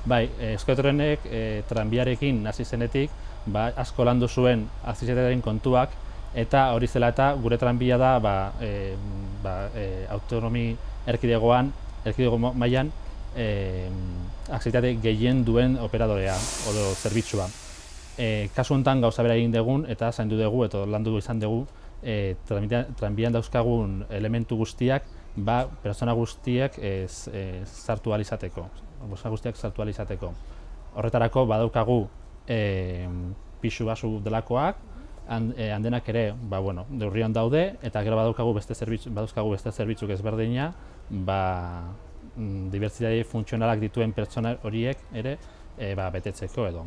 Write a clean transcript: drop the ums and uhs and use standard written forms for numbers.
Bai, Euskotrenek tranbiarekin hasi zenetik, asko landu zuen akzesitatearen kontuak, eta hori zela eta gure tranbia da autonomi erkidego mailan akzesitate gehien duen operadorea edo zerbitzua. Kasu honetan gauza bera egin dugun eta zaindu dugu eta landu izan dugu tranbian dauzkagun elementu guztiak pertsona guztiak sartu ahal izateko. Horretarako badaukagu pisu basu delakoak, handenak ere neurrian daude, eta gero badaukagu beste zerbitzuk ezberdina, dibertsitate funtzionalak dituen pertsona horiek ere betetzeko edo.